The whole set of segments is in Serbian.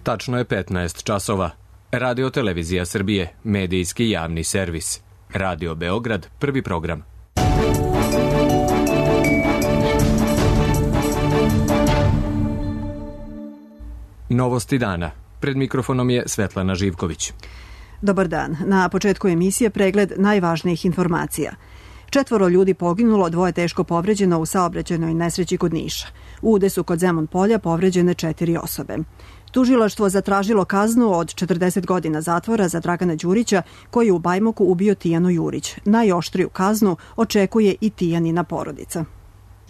Tačno je 15 časova. Radio Televizija Srbije, medijski javni servis. Radio Beograd, prvi program. Novosti dana. Pred mikrofonom je Svetlana Živković. Dobar dan. Na početku emisije pregled najvažnijih informacija. 4 ljudi poginulo, 2 teško povređeno u saobraćajnoj nesreći kod Niša. U udesu kod Zemun polja povređene 4 osobe. Tužilaštvo zatražilo kaznu od 40 godina zatvora za Dragana Đurića, koji je u Bajmoku ubio Tijanu Jurić. Najoštriju kaznu očekuje i Tijanina porodica.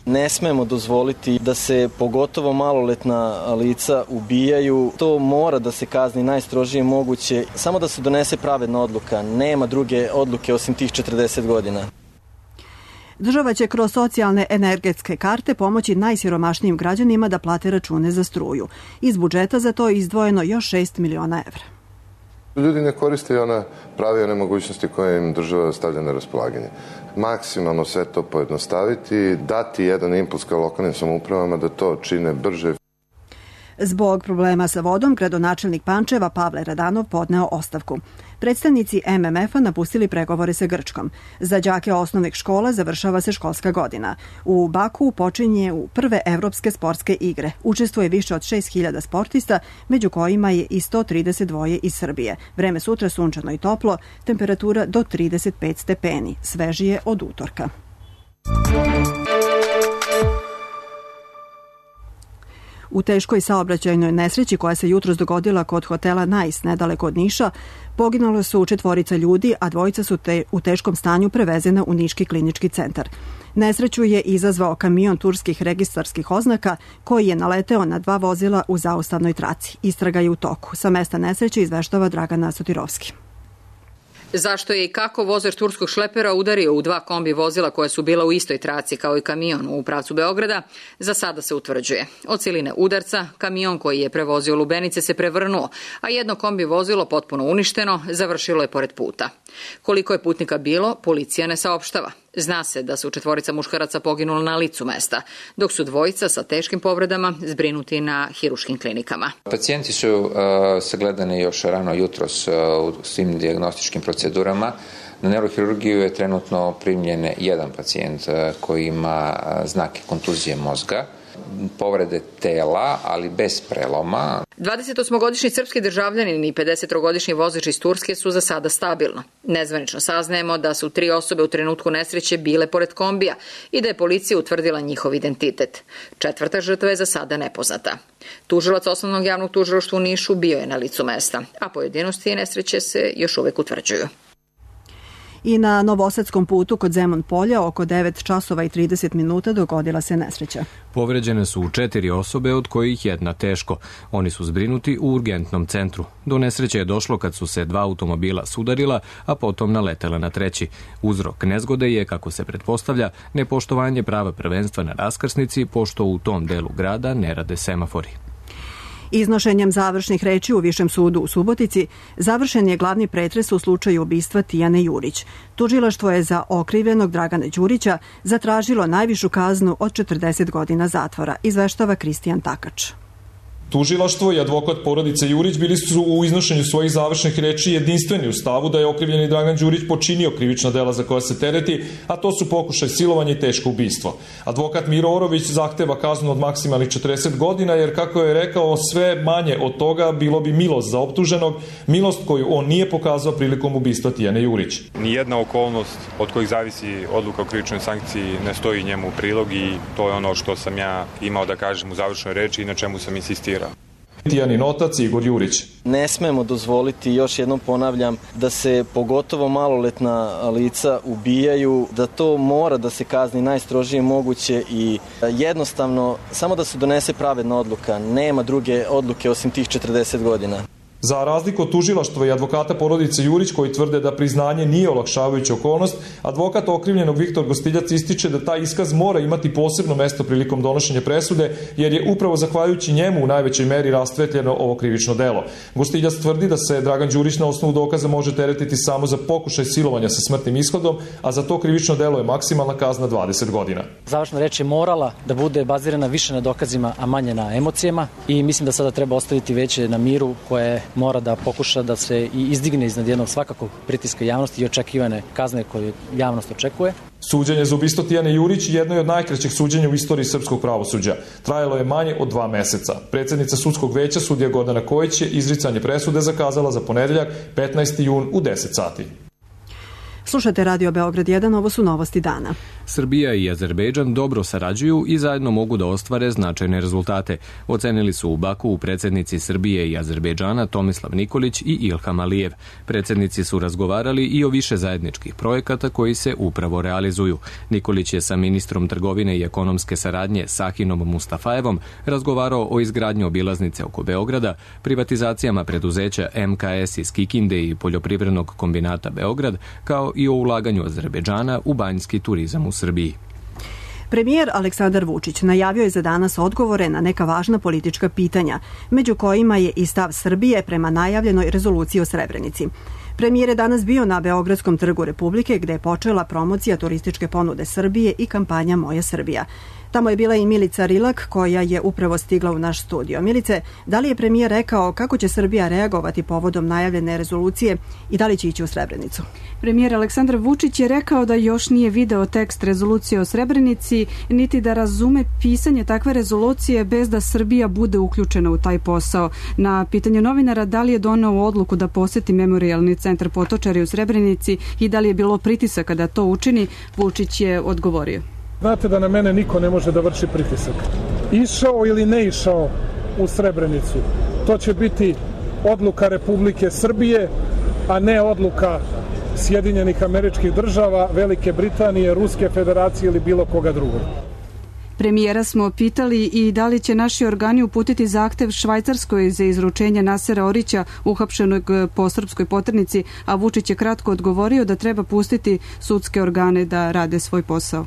Ne smemo dozvoliti da se pogotovo maloletna lica ubijaju. To mora da se kazni najstrožije moguće. Samo da se donese pravedna odluka. Nema druge odluke osim tih 40 godina. Država će kroz socijalne energetske karte pomoći najsiromašnijim građanima da plate račune za struju. Iz budžeta za to je izdvojeno još 6 miliona evra. Ljudi ne koriste one prave one mogućnosti koje im država stavlja na raspolaganje. Maksimalno sve to pojednostaviti, dati jedan impuls kao lokalnim samoupravama da to čine brže. Zbog problema sa vodom, gradonačelnik Pančeva Pavle Radanov podneo ostavku. Predstavnici MMF-a napustili pregovore sa Grčkom. Za đake osnovnih škola završava se školska godina. U Baku počinje prve evropske sportske igre. Učestvuje više od 6.000 sportista, među kojima je i 132 iz Srbije. Vreme sutra sunčano i toplo, temperatura do 35 stepeni. Svežije od utorka. U teškoj saobraćajnoj nesreći koja se jutros dogodila kod hotela Nice nedaleko od Niša, poginulo su 4 ljudi, a 2 su u teškom stanju prevezena u Niški klinički centar. Nesreću je izazvao kamion turskih registarskih oznaka koji je naleteo na 2 vozila u zaustavnoj traci. Istraga je u toku. Sa mesta nesreće izveštava Dragana Sotirovski. Zašto je i kako vozač turskog šlepera udario u 2 kombi vozila koja su bila u istoj traci kao i kamion u pravcu Beograda, za sada se utvrđuje. Od siline udarca, kamion koji je prevozio lubenice se prevrnuo, a jedno kombi vozilo potpuno uništeno završilo je pored puta. Koliko je putnika bilo, policija ne saopštava. Zna se da su 4 muškaraca poginula na licu mesta, dok su 2 sa teškim povredama zbrinuti na hiruškim klinikama. Pacijenti su sagledani još rano jutros u svim dijagnostičkim procedurama. Na neurohirurgiju je trenutno primljen 1 pacijent koji ima znake kontuzije mozga, povrede tela, ali bez preloma. 28-godišnji srpski državljanin i 53-godišnji vozač iz Turske su za sada stabilno. Nezvanično saznajemo da su 3 osobe u trenutku nesreće bile pored kombija i da je policija utvrdila njihov identitet. 4. žrtva je za sada nepoznata. Tužilac Osnovnog javnog tužilaštva u Nišu bio je na licu mesta, a pojedinosti nesreće se još uvek utvrđuju. I na Novosadskom putu kod Zemun polja oko 9 časova i 30 minuta dogodila se nesreća. Povređene su 4 osobe, od kojih 1 teško. Oni su zbrinuti u urgentnom centru. Do nesreće je došlo kad su se 2 automobila sudarila, a potom naletela na 3. Uzrok nezgode je, kako se pretpostavlja, nepoštovanje prava prvenstva na raskrsnici, pošto u tom delu grada ne rade semafori. Iznošenjem završnih reči u Višem sudu u Subotici završen je glavni pretres u slučaju ubistva Tijane Jurić. Tužilaštvo je za okrivljenog Dragana Đurića zatražilo najvišu kaznu od 40 godina zatvora, izveštava Kristijan Takač. Tužilaštvo i advokat porodice Jurić bili su u iznošenju svojih završnih reči jedinstveni u stavu da je okrivljeni Dragan Đurić počinio krivična dela za koja se tereti, a to su pokušaj silovanja i teško ubistvo. Advokat Miro Orović zahteva kaznu od maksimalnih 40 godina, jer kako je rekao, sve manje od toga bilo bi milost za optuženog, milost koju on nije pokazao prilikom ubistva Tijane Jurić. Nijedna okolnost od kojih zavisi odluka o krivičnoj sankciji ne stoji njemu u prilog i to je ono što sam ja imao da kažem u završnoj reči i na čemu sam insistirao. Tijanin otac Igor Jurić. Ne smemo dozvoliti, još jednom ponavljam, da se pogotovo maloletna lica ubijaju, da to mora da se kazni najstrožije moguće i jednostavno samo da se donese pravedna odluka. Nema druge odluke osim tih 40 godina. Za razliku od tužilaštva i advokata porodice Jurić koji tvrde da priznanje nije olakšavajuća okolnost, advokat okrivljenog Viktor Gostiljac ističe da taj iskaz mora imati posebno mesto prilikom donošenja presude, jer je upravo zahvaljujući njemu u najvećoj meri rastvetljeno ovo krivično delo. Gostiljac tvrdi da se Dragan Đurić na osnovu dokaza može teretiti samo za pokušaj silovanja sa smrtnim ishodom, a za to krivično delo je maksimalna kazna 20 godina. Završna reč je morala da bude bazirana više na dokazima, a manje na emocijama, i mislim da sada treba ostaviti veće na miru koje mora da pokuša da se i izdigne iznad jednog svakakog pritiska javnosti i očekivane kazne koje javnost očekuje. Suđenje za ubistvo Tijane Jurić jedno je od najkraćih suđenja u istoriji srpskog pravosuđa. Trajalo je manje od 2 meseca. Predsednica sudskog veća, sudija Gordana Kojić, je izricanje presude zakazala za ponedeljak 15. jun u 10 sati. Slušate Radio Beograd 1, ovo su novosti dana. Srbija i Azerbejdžan dobro sarađuju i zajedno mogu da ostvare značajne rezultate. Ocenili su u Baku predsednici Srbije i Azerbejdžana Tomislav Nikolić i Ilham Alijev. Predsednici su razgovarali i o više zajedničkih projekata koji se upravo realizuju. Nikolić je sa ministrom trgovine i ekonomske saradnje Sahinom Mustafajevom razgovarao o izgradnji obilaznice oko Beograda, privatizacijama preduzeća MKS iz Kikinde i poljoprivrednog kombinata Beograd, kao i o ulaganju Azerbejdžana u banjski turizam u Srbiji. Premijer Aleksandar Vučić najavio je za danas odgovore na neka važna politička pitanja, među kojima je i stav Srbije prema najavljenoj rezoluciji o Srebrenici. Premijer je danas bio na Beogradskom trgu Republike, gde je počela promocija turističke ponude Srbije i kampanja Moja Srbija. Tamo je bila i Milica Rilak, koja je upravo stigla u naš studio. Milice, da li je premijer rekao kako će Srbija reagovati povodom najavljene rezolucije i da li će ići u Srebrenicu? Premijer Aleksandar Vučić je rekao da još nije video tekst rezolucije o Srebrenici, niti da razume pisanje takve rezolucije bez da Srbija bude uključena u taj posao. Na pitanje novinara da li je doneo odluku da poseti memorijalni centar Potočari u Srebrenici i da li je bilo pritisaka da to učini, Vučić je odgovorio. Znate da na mene niko ne može da vrši pritisak. Išao ili ne išao u Srebrenicu, to će biti odluka Republike Srbije, a ne odluka Sjedinjenih Američkih Država, Velike Britanije, Ruske Federacije ili bilo koga drugog. Premijera smo pitali i da li će naši organi uputiti zahtev Švajcarskoj za izručenje Nasera Orića, uhapšenog po srpskoj poternici, a Vučić je kratko odgovorio da treba pustiti sudske organe da rade svoj posao.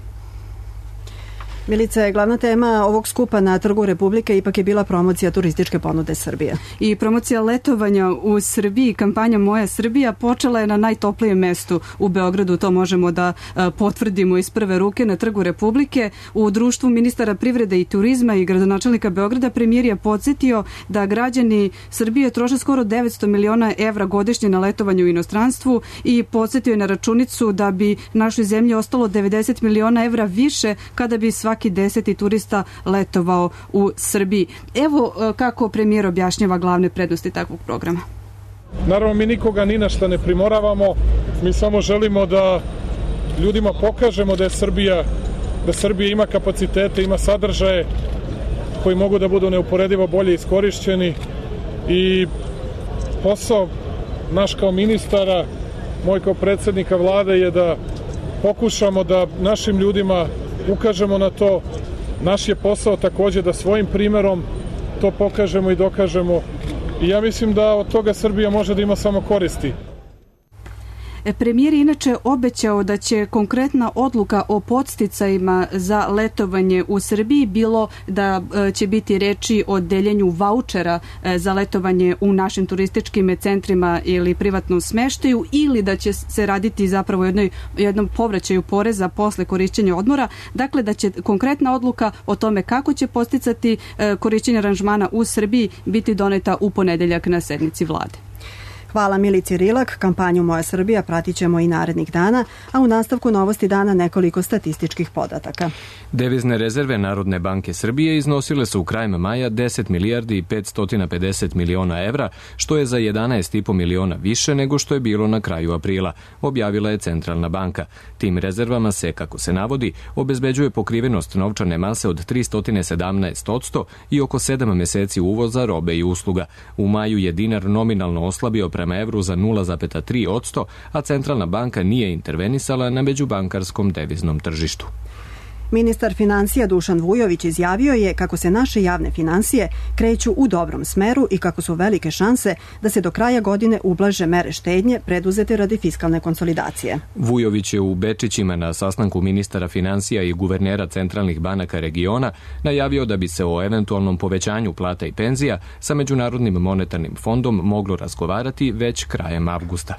Milice, glavna tema ovog skupa na Trgu Republike ipak je bila promocija turističke ponude Srbije. I promocija letovanja u Srbiji, kampanja Moja Srbija, počela je na najtoplijem mestu u Beogradu, to možemo da potvrdimo iz prve ruke, na Trgu Republike. U društvu ministara privrede i turizma i gradonačelnika Beograda premijer je podsjetio da građani Srbije troše skoro 900 miliona evra godišnje na letovanje u inostranstvu i podsjetio je na računicu da bi našoj zemlji ostalo 90 miliona evra više kada bi svaki 10. turista letovao u Srbiji. Evo kako premijer objašnjava glavne prednosti takvog programa. Naravno, mi nikoga ni na šta ne primoravamo, mi samo želimo da ljudima pokažemo da Srbija ima kapacitete, ima sadržaje koji mogu da budu neuporedivo bolje iskorišćeni i posao naš kao ministara, moj kao predsjednika vlade je da pokušamo da našim ljudima ukažemo na to. Naš je posao takođe da svojim primerom to pokažemo i dokažemo. I ja mislim da od toga Srbija može da ima samo koristi. Premijer je inače obećao da će konkretna odluka o podsticajima za letovanje u Srbiji, bilo da će biti reči o deljenju vaučera za letovanje u našim turističkim centrima ili privatnom smeštaju, ili da će se raditi zapravo jednom povraćaju poreza posle korišćenja odmora. Dakle, da će konkretna odluka o tome kako će podsticati korišćenje aranžmana u Srbiji biti doneta u ponedeljak na sednici vlade. Hvala Milici Rilak, kampanju Moja Srbija pratit ćemo i narednih dana, a u nastavku novosti dana nekoliko statističkih podataka. Devizne rezerve Narodne banke Srbije iznosile su u krajem maja 10 milijardi i 550 miliona evra, što je za 11,5 miliona više nego što je bilo na kraju aprila, objavila je Centralna banka. Tim rezervama se, kako se navodi, obezbeđuje pokrivenost novčane mase od 317% i oko 7 meseci uvoza robe i usluga. U maju je dinar nominalno oslabio prema evru za 0,3%, a Centralna banka nije intervenisala na međubankarskom deviznom tržištu. Ministar financija Dušan Vujović izjavio je kako se naše javne finansije kreću u dobrom smeru i kako su velike šanse da se do kraja godine ublaže mere štednje preduzete radi fiskalne konsolidacije. Vujović je u Bečićima na sastanku ministara financija i guvernera centralnih banaka regiona najavio da bi se o eventualnom povećanju plata i penzija sa Međunarodnim monetarnim fondom moglo razgovarati već krajem avgusta.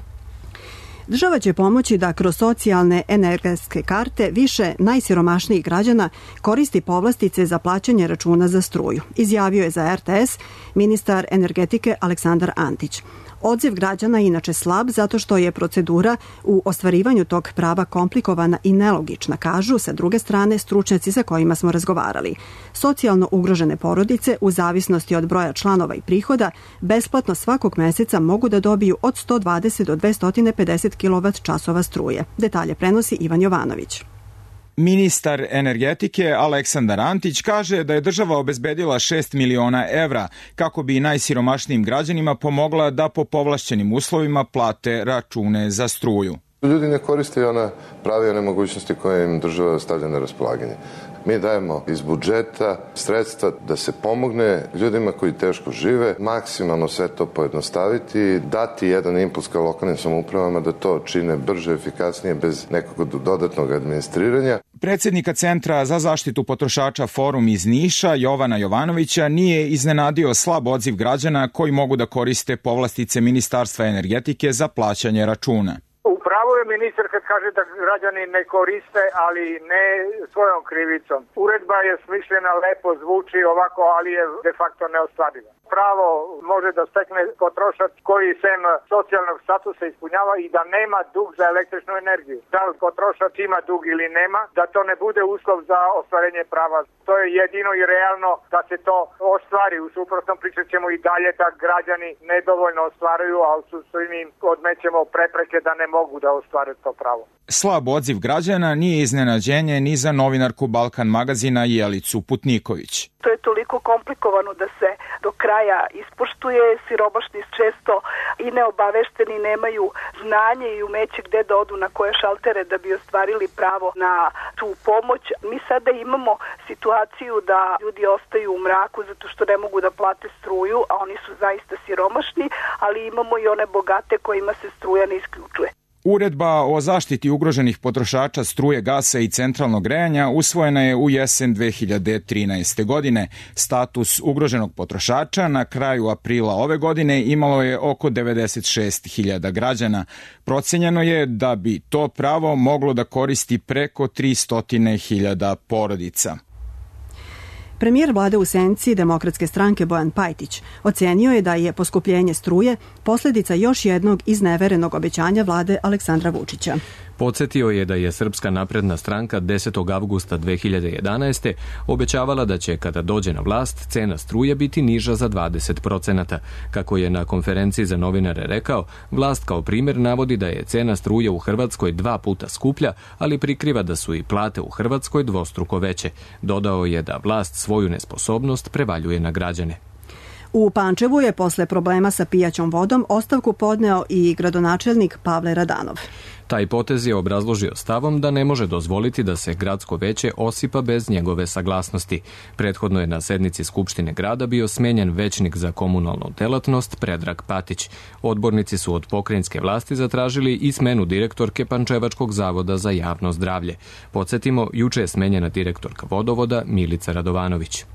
Država će pomoći da kroz socijalne energetske karte više najsiromašnijih građana koristi povlastice za plaćanje računa za struju, izjavio je za RTS ministar energetike Aleksandar Antić. Odziv građana je inače slab zato što je procedura u ostvarivanju tog prava komplikovana i nelogična, kažu sa druge strane stručnjaci sa kojima smo razgovarali. Socijalno ugrožene porodice u zavisnosti od broja članova i prihoda besplatno svakog meseca mogu da dobiju od 120 do 250 kWh struje. Detalje prenosi Ivan Jovanović. Ministar energetike Aleksandar Antić kaže da je država obezbedila 6 miliona evra kako bi najsiromašnijim građanima pomogla da po povlašćenim uslovima plate račune za struju. Ljudi ne koriste ona prava i one mogućnosti koje im država stavlja na raspolaganje. Mi dajemo iz budžeta sredstva da se pomogne ljudima koji teško žive, maksimalno sve to pojednostaviti, dati jedan impuls ka lokalnim samoupravama da to čine brže, efikasnije, bez nekog dodatnog administriranja. Predsednika Centra za zaštitu potrošača Forum iz Niša, Jovana Jovanovića, nije iznenadio slab odziv građana koji mogu da koriste povlastice Ministarstva energetike za plaćanje računa. Pravo je ministar kad kaže da građani ne koriste, ali ne svojom krivicom. Uredba je smišljena, lepo zvuči ovako, ali je de facto neostvariva. Pravo može da stekne potrošač koji sem socijalnog statusa ispunjava i da nema dug za električnu energiju. Da li potrošač ima dug ili nema, da to ne bude uslov za ostvarenje prava. To je jedino i realno da se to ostvari. U suprotnom pričat ćemo i dalje da građani nedovoljno ostvaruju, a u suštini im odmećemo prepreke da ne mogu da ostvare to pravo. Slab odziv građana nije iznenađenje ni za novinarku Balkan magazina Jelicu Putniković. To je toliko komplikovano da se do kraja ispoštuje. Siromašni često i neobavešteni nemaju znanje i umeće gde da odu na koje šaltere da bi ostvarili pravo na tu pomoć. Mi sada imamo situaciju da ljudi ostaju u mraku zato što ne mogu da plate struju, a oni su zaista siromašni, ali imamo i one bogate kojima se struja ne isključuje. Uredba o zaštiti ugroženih potrošača struje, gasa i centralnog grejanja usvojena je u jesen 2013. godine. Status ugroženog potrošača na kraju aprila ove godine imalo je oko 96.000 građana. Procenjeno je da bi to pravo moglo da koristi preko 300.000 porodica. Premijer vlade u senci Demokratske stranke Bojan Pajtić ocenio je da je poskupljenje struje posljedica još jednog izneverenog obećanja vlade Aleksandra Vučića. Podsjetio je da je Srpska napredna stranka 10. avgusta 2011. obećavala da će, kada dođe na vlast, cena struje biti niža za 20%. Kako je na konferenciji za novinare rekao, vlast kao primjer navodi da je cena struje u Hrvatskoj 2 puta skuplja, ali prikriva da su i plate u Hrvatskoj dvostruko veće. Dodao je da vlast svoju nesposobnost prevaljuje na građane. U Pančevu je posle problema sa pijaćom vodom ostavku podneo i gradonačelnik Pavle Radanov. Taj potez je obrazložio stavom da ne može dozvoliti da se gradsko veće osipa bez njegove saglasnosti. Prethodno je na sednici Skupštine grada bio smenjen većnik za komunalnu delatnost Predrag Patić. Odbornici su od pokrajinske vlasti zatražili i smenu direktorke Pančevačkog zavoda za javno zdravlje. Podsjetimo, juče je smenjena direktorka vodovoda Milica Radovanović.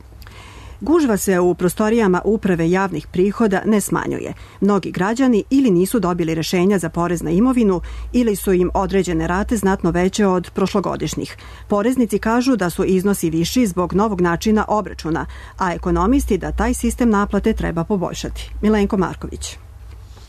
Gužva se u prostorijama uprave javnih prihoda ne smanjuje. Mnogi građani ili nisu dobili rešenja za porez na imovinu ili su im određene rate znatno veće od prošlogodišnjih. Poreznici kažu da su iznosi viši zbog novog načina obračuna, a ekonomisti da taj sistem naplate treba poboljšati. Milenko Marković.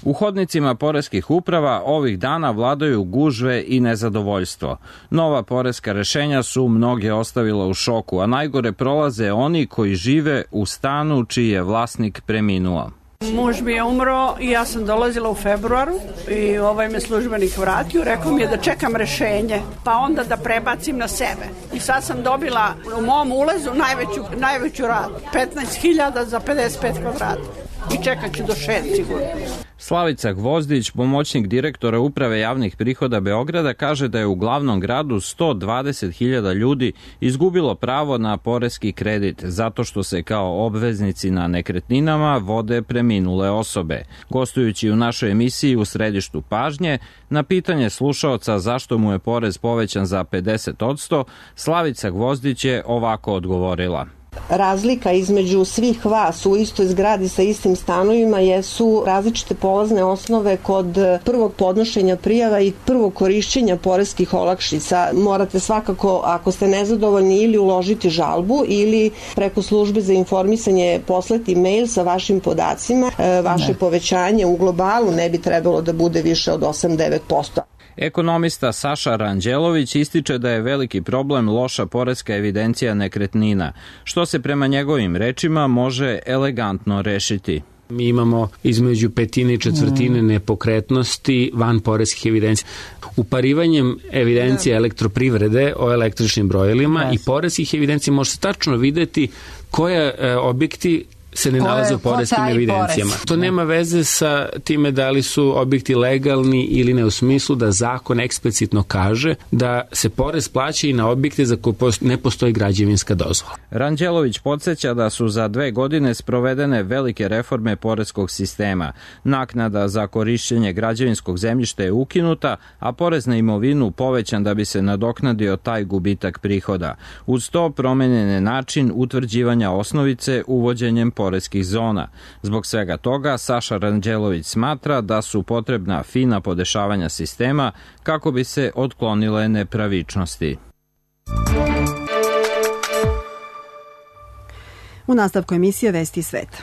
U hodnicima poreskih uprava ovih dana vladaju gužve i nezadovoljstvo. Nova poreska rešenja su mnoge ostavila u šoku, a najgore prolaze oni koji žive u stanu čiji je vlasnik preminuo. Muž mi je umro i ja sam dolazila u februaru i me službenik vratio, rekao mi je da čekam rešenje, pa onda da prebacim na sebe. I sad sam dobila u mom ulazu najveću ratu, 15.000 za 55 kvadrata. I čekat ću do 6 sigurno. Slavica Gvozdić, pomoćnik direktora Uprave javnih prihoda Beograda, kaže da je u glavnom gradu 120.000 ljudi izgubilo pravo na poreski kredit zato što se kao obveznici na nekretninama vode preminule osobe. Gostujući u našoj emisiji U središtu pažnje, na pitanje slušaoca zašto mu je porez povećan za 50%, Slavica Gvozdić je ovako odgovorila. Razlika između svih vas u istoj zgradi sa istim stanovima jesu različite polazne osnove kod prvog podnošenja prijava i prvog korišćenja poreskih olakšica. Morate svakako, ako ste nezadovoljni, ili uložiti žalbu ili preko službe za informisanje poslati mail sa vašim podacima. Vaše povećanje u globalu ne bi trebalo da bude više od 8-9%. Ekonomista Saša Ranđelović ističe da je veliki problem loša poreska evidencija nekretnina, što se prema njegovim rečima može elegantno rešiti. Mi imamo između petine i četvrtine nepokretnosti van poreskih evidencija. Uparivanjem evidencije elektroprivrede o električnim brojilima i poreskih evidencija može se tačno videti koje objekti se ne nalaze u poreskim evidencijama. To nema veze sa time da li su objekti legalni ili ne, u smislu da zakon eksplicitno kaže da se porez plaća i na objekte za koje ne postoji građevinska dozvola. Ranđelović podsjeća da su za 2 godine sprovedene velike reforme poreskog sistema. Naknada za korišćenje građevinskog zemljišta je ukinuta, a porez na imovinu povećan da bi se nadoknadio taj gubitak prihoda. Uz to promenjen je način utvrđivanja osnovice uvođenjem poreskih zona. Zbog svega toga, Saša Ranđelović smatra da su potrebna fina podešavanja sistema kako bi se otklonile nepravičnosti. U nastavku emisije Vesti sveta.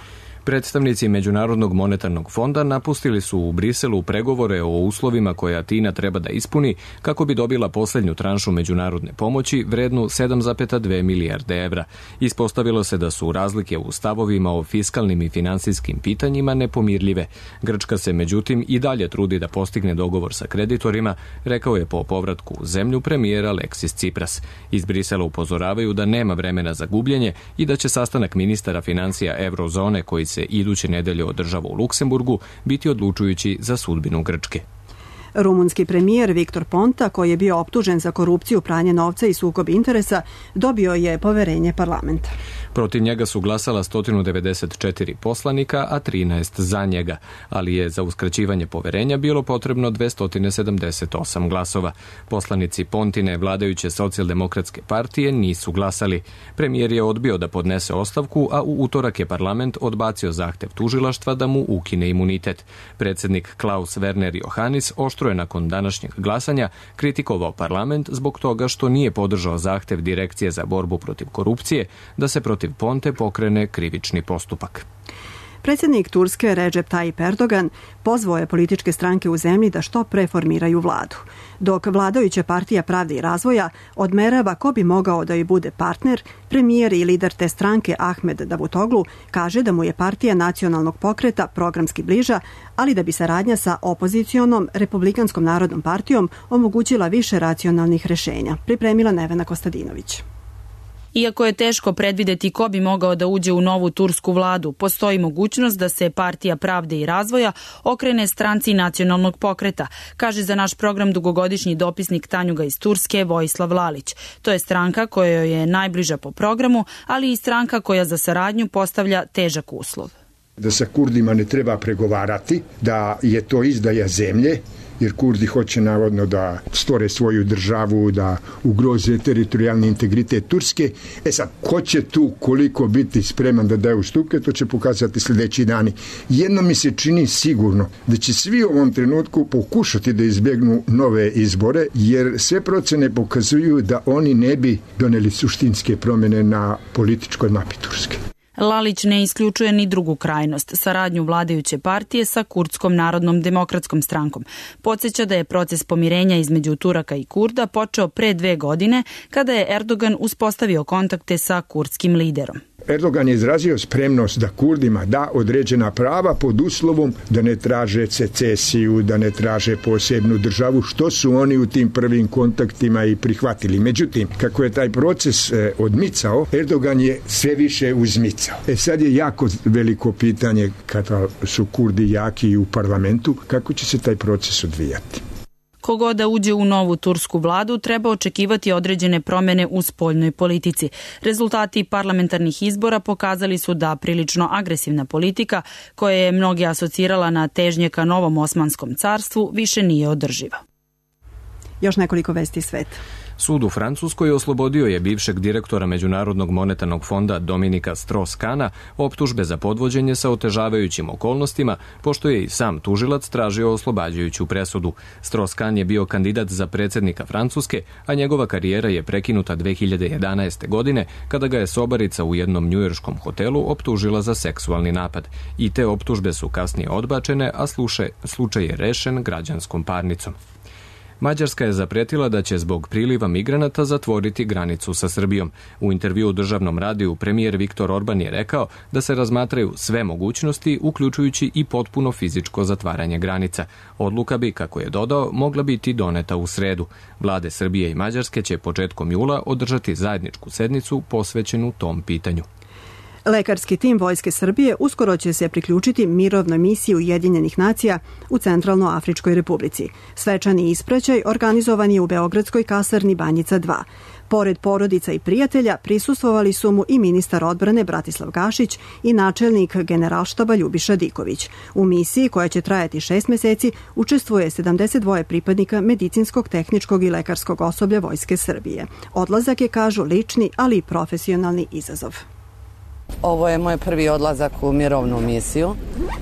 Predstavnici Međunarodnog monetarnog fonda napustili su u Briselu pregovore o uslovima koje Atina treba da ispuni kako bi dobila posljednju tranšu međunarodne pomoći vrednu 7,2 milijarde evra. Ispostavilo se da su razlike u stavovima o fiskalnim i finansijskim pitanjima nepomirljive. Grčka se međutim i dalje trudi da postigne dogovor sa kreditorima, rekao je po povratku u zemlju premijer Aleksis Tsipras. Iz Brisela upozoravaju da nema vremena za gubljenje i da će sastanak ministara financija Eurozone koji se iduće nedelje održava u Luksemburgu biti odlučujući za sudbinu Grčke. Rumunski premijer Viktor Ponta, koji je bio optužen za korupciju, pranje novca i sukob interesa, dobio je poverenje parlamenta. Protiv njega su glasala 194 poslanika, a 13 za njega, ali je za uskraćivanje poverenja bilo potrebno 278 glasova. Poslanici Pontine vladajuće socijaldemokratske partije nisu glasali. Premijer je odbio da podnese ostavku, a u utorak je parlament odbacio zahtev tužilaštva da mu ukine imunitet. Predsjednik Klaus Werner Johannis oštro je nakon današnjeg glasanja kritikovao parlament zbog toga što nije podržao zahtev Direkcije za borbu protiv korupcije da se protiv Ponte pokrene krivični postupak. Predsjednik Turske Recep Tayyip Erdogan pozvao je političke stranke u zemlji da što pre formiraju vladu. Dok vladajuća partija Pravde i razvoja odmerava ko bi mogao da joj bude partner, premijer i lider te stranke Ahmed Davutoglu kaže da mu je partija nacionalnog pokreta programski bliža, ali da bi saradnja sa opozicionom Republikanskom narodnom partijom omogućila više racionalnih rešenja, pripremila Nevena Kostadinović. Iako je teško predvideti ko bi mogao da uđe u novu tursku vladu, postoji mogućnost da se Partija Pravde i razvoja okrene stranci nacionalnog pokreta, kaže za naš program dugogodišnji dopisnik Tanjuga iz Turske Vojislav Lalić. To je stranka kojoj je najbliža po programu, ali i stranka koja za saradnju postavlja težak uslov. Da sa Kurdima ne treba pregovarati, da je to izdaja zemlje, jer Kurdi hoće navodno da stvore svoju državu, da ugroze teritorijalni integritet Turske. Sad, ko će tu koliko biti spreman da daje ustupke, to će pokazati sljedeći dani. Jedno mi se čini sigurno da će svi u ovom trenutku pokušati da izbjegnu nove izbore, jer sve procene pokazuju da oni ne bi doneli suštinske promjene na političkoj mapi Turske. Lalić ne isključuje ni drugu krajnost, saradnju vladajuće partije sa Kurdskom narodnom demokratskom strankom. Podsjeća da je proces pomirenja između Turaka i Kurda počeo pre 2 godine, kada je Erdogan uspostavio kontakte sa kurdskim liderom. Erdogan je izrazio spremnost da Kurdima da određena prava pod uslovom da ne traže secesiju, da ne traže posebnu državu, što su oni u tim prvim kontaktima i prihvatili. Međutim, kako je taj proces odmicao, Erdogan je sve više uzmicao. poticao. Sad je jako veliko pitanje kada su Kurdi jaki u parlamentu, kako će se taj proces odvijati. Kogo da uđe u novu tursku vladu, treba očekivati određene promene u spoljnoj politici. Rezultati parlamentarnih izbora pokazali su da prilično agresivna politika, koja je mnogi asocirala na težnje ka novom Osmanskom carstvu, više nije održiva. Još nekoliko vesti sveta. Sud u Francuskoj oslobodio je bivšeg direktora Međunarodnog monetarnog fonda Dominika Strauss-Kahna optužbe za podvođenje sa otežavajućim okolnostima, pošto je i sam tužilac tražio oslobađajuću presudu. Strauss-Kahn je bio kandidat za predsjednika Francuske, a njegova karijera je prekinuta 2011. godine, kada ga je sobarica u jednom njujorškom hotelu optužila za seksualni napad. I te optužbe su kasnije odbačene, a slučaj je rešen građanskom parnicom. Mađarska je zapretila da će zbog priliva migranata zatvoriti granicu sa Srbijom. U intervjuu državnom radiju premijer Viktor Orban je rekao da se razmatraju sve mogućnosti, uključujući i potpuno fizičko zatvaranje granica. Odluka bi, kako je dodao, mogla biti doneta u sredu. Vlade Srbije i Mađarske će početkom jula održati zajedničku sednicu posvećenu tom pitanju. Lekarski tim Vojske Srbije uskoro će se priključiti mirovnoj misiji Ujedinjenih nacija u Centralnoafričkoj republici. Svečani ispraćaj organizovan je u beogradskoj kasarni Banjica 2. Pored porodica i prijatelja prisustvovali su mu i ministar odbrane Bratislav Gašić i načelnik Generalštaba Ljubiša Diković. U misiji, koja će trajati 6 meseci, učestvuje 72 pripadnika medicinskog, tehničkog i lekarskog osoblja Vojske Srbije. Odlazak je, kažu, lični, ali i profesionalni izazov. Ovo je moj prvi odlazak u mirovnu misiju.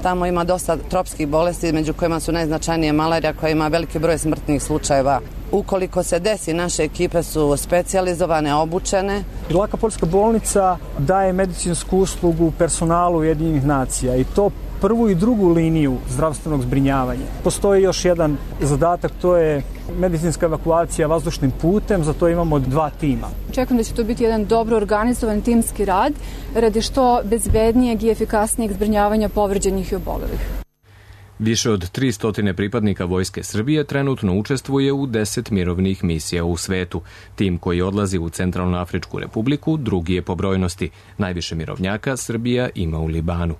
Tamo ima dosta tropskih bolesti, među kojima su najznačajnije malarija, koja ima veliki broj smrtnih slučajeva. Ukoliko se desi, naše ekipe su specijalizovane, obučene. Laka poljska bolnica daje medicinsku uslugu personalu Ujedinjenih nacija i to prvu i drugu liniju zdravstvenog zbrinjavanja. Postoji još jedan zadatak, to je medicinska evakuacija vazdušnim putem, za to imamo 2 tima. Očekujem da će to biti jedan dobro organizovan timski rad radi što bezbednijeg i efikasnijeg zbrinjavanja povređenih i obolelih. Više od 300 pripadnika Vojske Srbije trenutno učestvuje u 10 mirovnih misija u svetu. Tim koji odlazi u Centralnoafričku republiku drugi je po brojnosti. Najviše mirovnjaka Srbija ima u Libanu.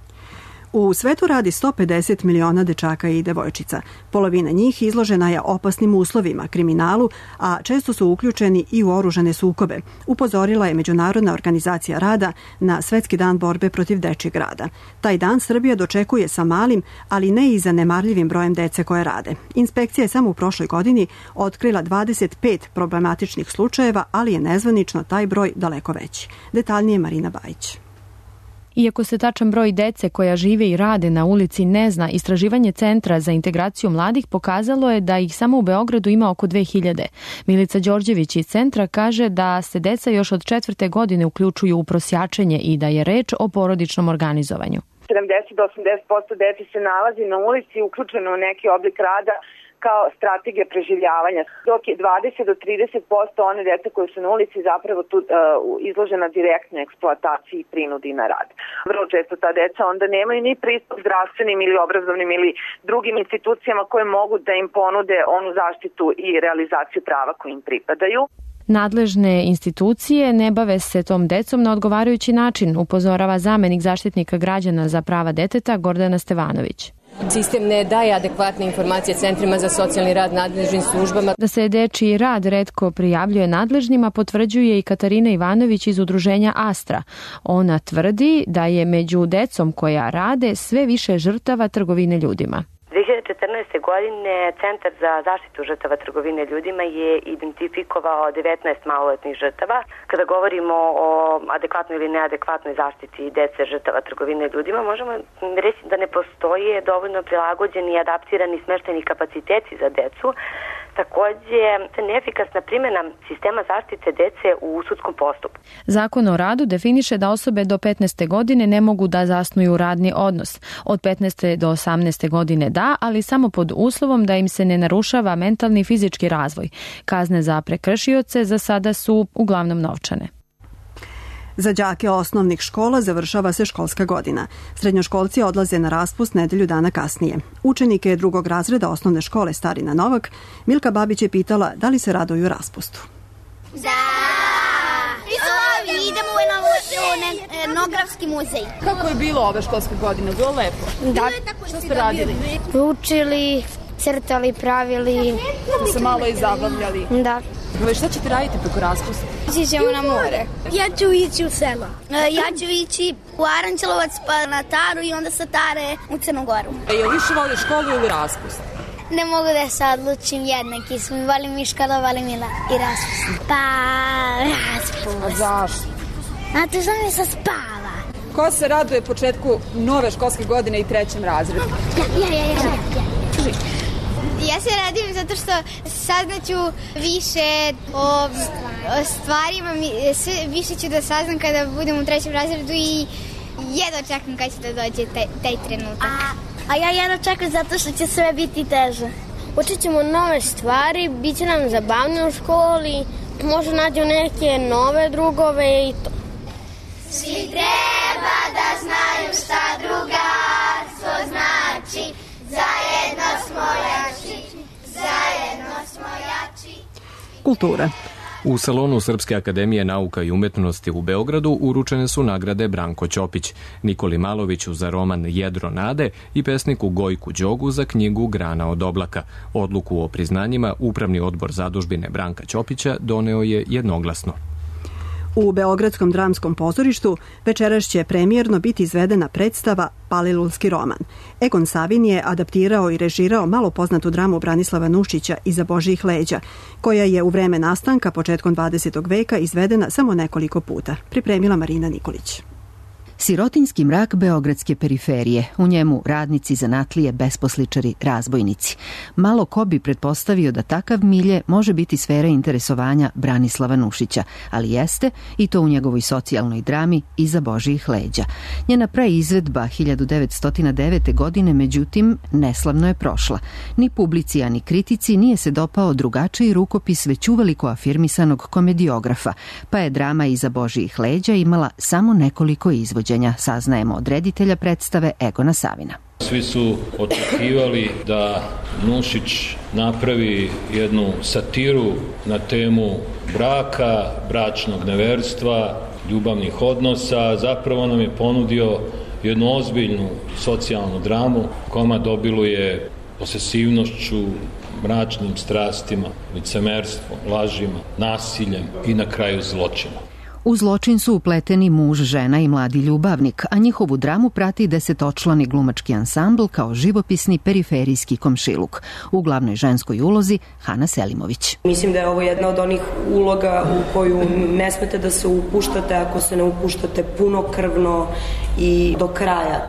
U svetu radi 150 miliona dečaka i devojčica. Polovina njih izložena je opasnim uslovima, kriminalu, a često su uključeni i u oružane sukobe. Upozorila je Međunarodna organizacija rada na Svetski dan borbe protiv dečijeg rada. Taj dan Srbija dočekuje sa malim, ali ne i zanemarljivim brojem dece koje rade. Inspekcija je samo u prošloj godini otkrila 25 problematičnih slučajeva, ali je nezvanično taj broj daleko veći. Detaljnije Marina Bajić. Iako se tačan broj dece koja žive i rade na ulici ne zna, istraživanje Centra za integraciju mladih pokazalo je da ih samo u Beogradu ima oko 2000. Milica Đorđević iz Centra kaže da se deca još od 4. godine uključuju u prosjačenje i da je reč o porodičnom organizovanju. 70 do 80% dece se nalazi na ulici uključeno u neki oblik rada kao strategija preživljavanja, dok je 20 do 30% one dece koje su na ulici zapravo tu izložena direktnoj eksploataciji i prinudi na rad. Vrlo često ta deca onda nemaju ni pristup zdravstvenim ili obrazovnim ili drugim institucijama koje mogu da im ponude onu zaštitu i realizaciju prava koji im pripadaju. Nadležne institucije ne bave se tom decom na odgovarajući način, upozorava zamenik zaštitnika građana za prava deteta Gordana Stevanović. Sistem ne daje adekvatne informacije centrima za socijalni rad, nadležnim službama. Da se dečiji rad retko prijavljuje nadležnima potvrđuje i Katarina Ivanović iz udruženja Astra. Ona tvrdi da je među decom koja rade sve više žrtava trgovine ljudima. 2014. godine Centar za zaštitu žrtava trgovine ljudima je identifikovao 19 maloletnih žrtava. Kada govorimo o adekvatnoj ili neadekvatnoj zaštiti dece žrtava trgovine ljudima, možemo reći da ne postoje dovoljno prilagođeni i adaptirani smeštajni kapaciteti za decu. Takođe, neefikasna primjena sistema zaštite dece u sudskom postupku. Zakon o radu definiše da osobe do 15. godine ne mogu da zasnuju radni odnos. Od 15. do 18. godine da, ali samo pod uslovom da im se ne narušava mentalni i fizički razvoj. Kazne za prekršioce za sada su uglavnom novčane. Za đake osnovnih škola završava se školska godina. Srednjoškolci odlaze na raspust nedelju dana kasnije. Učenike 2. razreda osnovne škole Starina Novak Milka Babić je pitala da li se raduju raspustu. Da! Idemo u novu etnografski muzej. Kako je bilo ove školske godine? Bilo lepo? Da. Šta ste radili? Učili, crtali, pravili. Ste se malo i zabavljali? Da. Šta ćete raditi preko raspusta? Ići ćemo na more. Ja ću ići u selo. Ja ću ići u Aranđelovac pa na Taru i onda sa Tare u Crnogoru. Je li više voli školu ili raspust? Ne mogu da se odlučim, jednaki smo. Volim i školu, volim i raspust. Pa, raspust. A zašto? Zato što mi se spava. Ko se raduje početku nove školske godine i 3. razredu? Ja se radujem zato što saznaću više o stvarima, više ću da saznam kada budem u 3. razredu i jedva čekam kada će da dođe taj trenutak. A ja jedva čekam zato što će sve biti teže. Učit ćemo nove stvari, bit će nam zabavno u školi, možda nađu neke nove drugove i to. Svi treba da znaju šta drugarstvo znači. Zajedno smo jači, zajedno smo jači. Kultura. U salonu Srpske akademije nauka i umetnosti u Beogradu uručene su nagrade Branko Ćopić, Nikoli Maloviću za roman Jedro nade i pesniku Gojku Đogu za knjigu Grana od oblaka. Odluku o priznanjima Upravni odbor zadužbine Branka Ćopića doneo je jednoglasno. U Beogradskom dramskom pozorištu večeras će premijerno biti izvedena predstava Palilulski roman. Egon Savin je adaptirao i režirao malo poznatu dramu Branislava Nušića Iza Božjih leđa, koja je u vreme nastanka početkom 20. veka izvedena samo nekoliko puta. Pripremila Marina Nikolić. Sirotinjski mrak beogradske periferije, u njemu radnici, zanatlije, besposličari, razbojnici. Malo ko bi pretpostavio da takav milje može biti sfera interesovanja Branislava Nušića, ali jeste i to u njegovoj socijalnoj drami Iza Božjih leđa. Njena preizvedba 1909. godine, međutim, neslavno je prošla. Ni publici, ani kritici nije se dopao drugačiji rukopis već uveliko afirmisanog komediografa, pa je drama Iza Božjih leđa imala samo nekoliko izvođenja, saznajemo od reditelja predstave Egona Savina. Svi su očekivali da Nušić napravi jednu satiru na temu braka, bračnog neverstva, ljubavnih odnosa. Zapravo nam je ponudio jednu ozbiljnu socijalnu dramu. Komad obiluje posesivnošću, mračnim strastima, licemerstvom, lažima, nasiljem i na kraju zločinom. U zločin su upleteni muž, žena i mladi ljubavnik, a njihovu dramu prati 10-člani glumački ansambl kao živopisni periferijski komšiluk. U glavnoj ženskoj ulozi Hana Selimović. Mislim da je ovo jedna od onih uloga u koju ne smete da se upuštate ako se ne upuštate punokrvno i do kraja.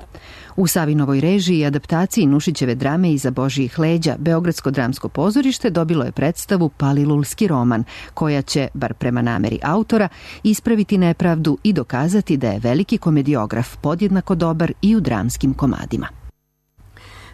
U Savinovoj režiji i adaptaciji Nušićeve drame Iza Božjih leđa, Beogradsko dramsko pozorište dobilo je predstavu Palilulski roman, koja će, bar prema nameri autora, ispraviti nepravdu i dokazati da je veliki komediograf podjednako dobar i u dramskim komadima.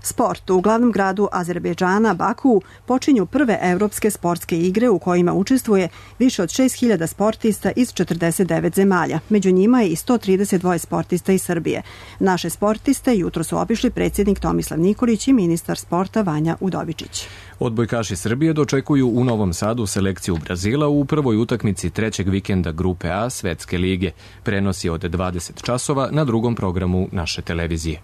Sport. U glavnom gradu Azerbejdžana, Baku, počinju prve evropske sportske igre u kojima učestvuje više od 6.000 sportista iz 49 zemalja. Među njima je i 132 sportista iz Srbije. Naše sportiste jutro su obišli predsjednik Tomislav Nikolić i ministar sporta Vanja Udovičić. Odbojkaši Srbije dočekuju u Novom Sadu selekciju Brazila u prvoj utakmici trećeg vikenda Grupe A Svetske lige. Prenos je od 20 časova na drugom programu naše televizije.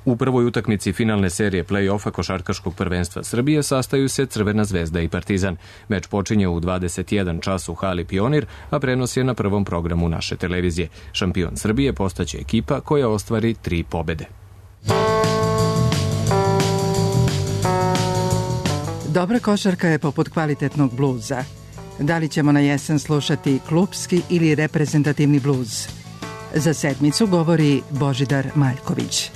U prvoj utakmici finalne serije play-offa košarkaškog prvenstva Srbije sastaju se Crvena zvezda i Partizan. Meč počinje u 21 čas u hali Pionir, a prenos je na prvom programu naše televizije. Šampion Srbije postaće ekipa koja ostvari 3 pobede. Dobra košarka je poput kvalitetnog bluza. Da li ćemo na jesen slušati klupski ili reprezentativni bluz? Za sedmicu govori Božidar Maljković.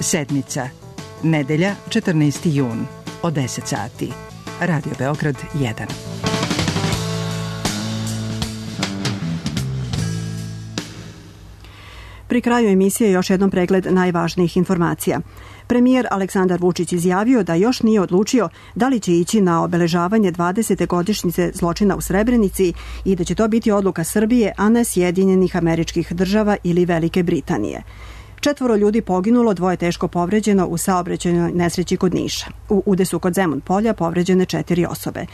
Sedmica, nedelja, 14. jun, od 10 sati. Radio Beograd 1. Pri kraju emisije još jednom pregled najvažnijih informacija. Premijer Aleksandar Vučić izjavio da još nije odlučio da li će ići na obeležavanje 20. godišnjice zločina u Srebrenici i da će to biti odluka Srbije, a ne Sjedinjenih Američkih Država ili Velike Britanije. 4 ljudi poginulo, 2 teško povređeno u saobraćajnoj nesreći kod Niša. U udesu kod Zemun polja povređene 4 osobe.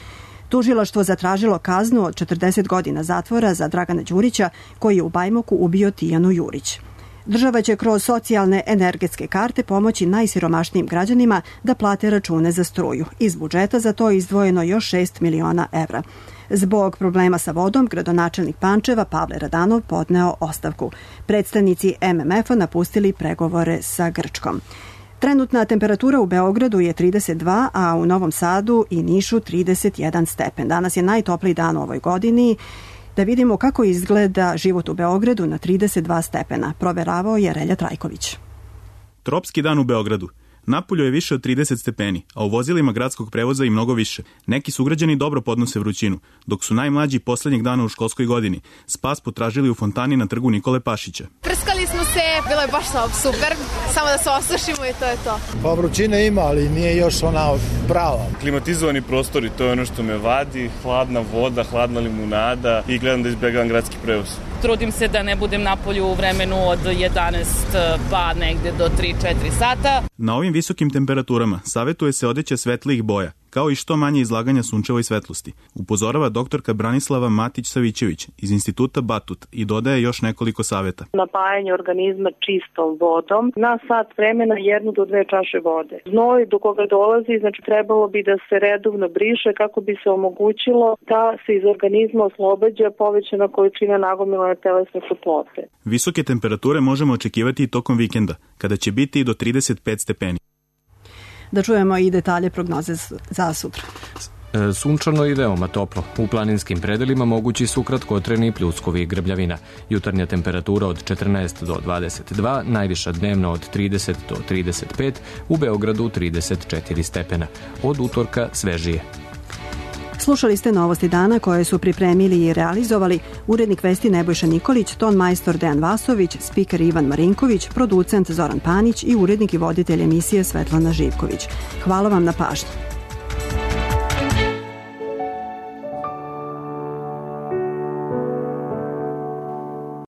Tužilaštvo zatražilo kaznu od 40 godina zatvora za Dragana Đurića, koji je u Bajmoku ubio Tijanu Jurić. Država će kroz socijalne energetske karte pomoći najsiromašnijim građanima da plate račune za struju. Iz budžeta za to je izdvojeno još 6 miliona evra. Zbog problema sa vodom, gradonačelnik Pančeva Pavle Radanov podneo ostavku. Predstavnici MMF-a napustili pregovore sa Grčkom. Trenutna temperatura u Beogradu je 32, a u Novom Sadu i Nišu 31 stepen. Danas je najtopliji dan u ovoj godini. Da vidimo kako izgleda život u Beogradu na 32 stepena. Proveravao je Relja Trajković. Tropski dan u Beogradu. Napolju je više od 30 stepeni, a u vozilima gradskog prevoza i mnogo više. Neki sugrađani dobro podnose vrućinu, dok su najmlađi poslednjeg dana u školskoj godini spas potražili u fontani na trgu Nikole Pašića. Prskali smo se, bilo je baš super, samo da se osušimo i to je to. Pa vrućine ima, ali nije još ona prava. Klimatizovani prostori, to je ono što me vadi, hladna voda, hladna limunada i gledam da izbegavam gradski prevoz. Trudim se da ne budem napolju u vremenu od 11 pa negde do 3-4 sata. Na ovim visokim temperaturama savetuje se odeća svetlijih boja, kao i što manje izlaganja sunčevoj svetlosti, upozorava doktorka Branislava Matić-Savićević iz Instituta Batut i dodaje još nekoliko saveta. Napajanje organizma čistom vodom na sat vremena 1 do 2 čaše vode. Znoj do koga dolazi, znači trebalo bi da se redovno briše kako bi se omogućilo da se iz organizma oslobađa povećana količina nagomilane telesne toplote. Visoke temperature možemo očekivati i tokom vikenda, kada će biti i do 35 stepeni. Da čujemo i detalje prognoze za sutra. Sunčano i veoma toplo. U planinskim predelima mogući su kratkotreni pljuskovi i grbljavina. Jutarnja temperatura od 14 do 22, najviša dnevna od 30 do 35, u Beogradu 34 stepena. Od utorka svežije. Slušali ste novosti dana koje su pripremili i realizovali urednik vesti Nebojša Nikolić, ton majstor Dejan Vasović, spiker Ivan Marinković, producent Zoran Panić i urednik i voditelj emisije Svetlana Živković. Hvala vam na pažnji.